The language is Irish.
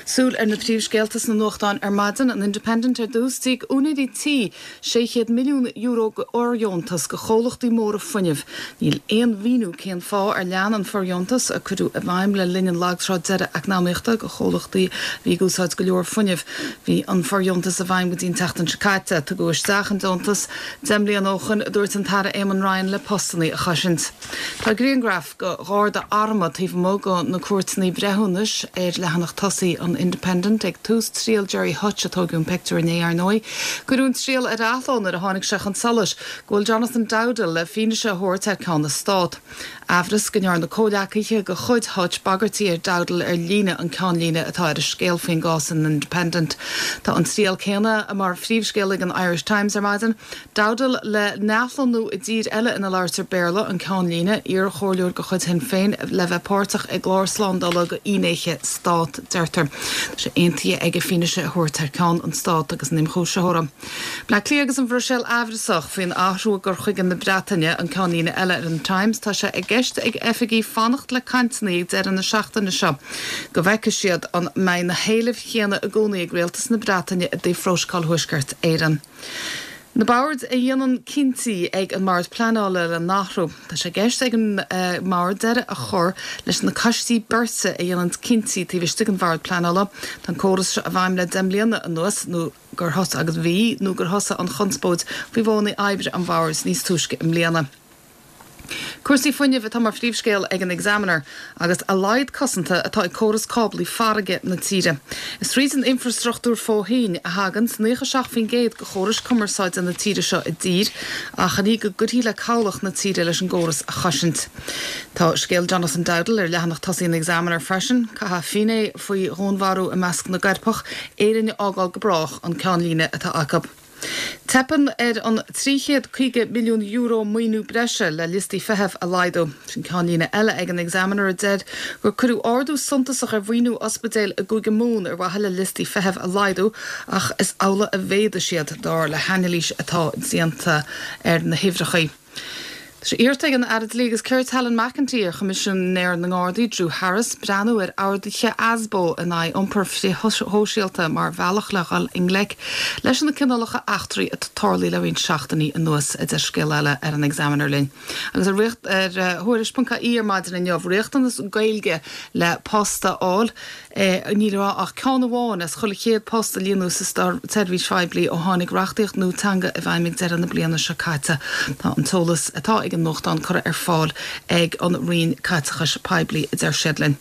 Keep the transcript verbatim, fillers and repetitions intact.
Súil ar na príomhscéalta sna nuachtáin ar maidin an Independent ar dtús d'íoc úinéirí tí sé chéad milliún euro de fhóirdheontas go chomhlachtaí móra fuinnimh. Níl aon mhíniú cén fáth ar lean an fóirdheontas a cuireadh i bhfeidhm le linn an lagtráth deiridh eacnamaíochta go chomhlachtaí bhí ag úsáid go leor fuinnimh. Bhí an fóirdheontas i bhfeidhm go dtí an tseachtain seo caite tugadh isteach an deontas deich mbliana ó shin a dúirt an tAire Eamon Ryan le postanna a chosaint. Tá grianghraf de gharda armtha taobh amuigh de na cúirteanna breithiúnais ar leathanach tosaigh an Independent ag tús triail Gerry Hutch a tógadh an pictiúr inné ar ndóigh. Cuireadh an triail ar athló nuair a tháinig sé chun solais go bhfuil Jonathan Dowdall le fianaise a thabhairt ar ceann na stát. Amhras go ndearna comhghleacaithe de chuid Hutch bagairtí ar Dowdall ar líne an ceannlíne atá ar a scéal faoin gcás in Independent. Tá an triail céanna mar phríomhscéal ag an Irish Times ar maidin, Dowdall le n-athlonnú i dtír eile ina labhraítear Béarla an ceannlíne iarchomhairleoir de chuid Shinn Féin le bheith páirteach i gclár slándála do fhinnéithe stát deirtear. sé aontaithe aige fianaise a thabhairt ar ceann an stát agus an ionchúisitheora. Bleá Cliath agus an Bhruiséil amhrasach faoin athrú i gcur chuige na Breataine an ceannlíne eile ar an Times tá sé i gceist ag oifigigh fanacht le cainteanna ag deireadh na seachtaine seo. Go bhfeicfidh siad an mbeidh na héilimh chéanna i gcónaí ag rialtas na Breataine i dtaobh Phrótacal Thuaisceart Éireann. Na boird a dhéanann cinntí ag an mBord Pleanála le n-athrú. Tá sé i gceist ag an uh, mbord deireadh a chur leis na coistí beirte a dhéanann cinntí taobh istigh den Bhord Pleanála. Tá an córas seo i bhfeidhm le deich mbliana anuas nó gur thosaigh agus bhí nó gur thosaigh an chonspóid faoi mhodhanna oibre an bhoird níos túisce i mbliana. Cúrsaí fuinnimh atá mar phríomhscéal ag an Examiner agus a laghad cosanta atá ag córas cáblaí farraige na tíre. Is tríd an infrastruchtúr fo-thoinn a thagann naocha seacht faoin gcéad de chórais cumarsáide na tíre seo i dtír ach ní go gcuirfí le cabhlach na tíre leis an gcóras a chosaint. Tá scéal Jonathan Dowdall ar leathanach tosaigh an Examiner freisin, caithfidh finné faoi dhúnmharú i measc na gcoirpeach Éirinn a fhágáil go brách an ceannlíne atá acu. Teipeann ar an trí chéad caoga milliún euro maoiniú breise le liostaí feithimh a laghdú. Sin ceannlíne eile ag an Examiner a deir gur cuireadh ardú suntasach ar mhaoiniú ospidéil i gCúige Mumhan ar mhaithe le liostaí feithimh a laghdú ach is amhlaidh a mhéadaigh siad dar le hanailís atá déanta ar na huimhreacha. Tá iarrta ag an Aire Dlí agus Cirt Helen McEntee ar Choimisinéir na nGardaí Drew Harris breathnú ar orduithe ASBO in aghaidh iompar frithshóisialta mar bhealach le dhul i ngleic leis na cineálacha eachtraí atá tarlaithe le roinnt seachtainí anuas a deir scéal eile ar an Examiner linn. Agus ar ar Tuairisc.ie ar maidin inniu riachtanas Gaeilge le post a fháil ní raibh ach ceann amháin as chuile chéad post a líonadh sa tseirbhís phoiblí ó tháinig reachtaíocht nua teanga i bhfeidhm ag deireadh na bliana seo caite. Tá an t-eolas atá ag an nuachtán curtha ar fáil ag an Roinn Caiteachais Poiblí a deir siad linn.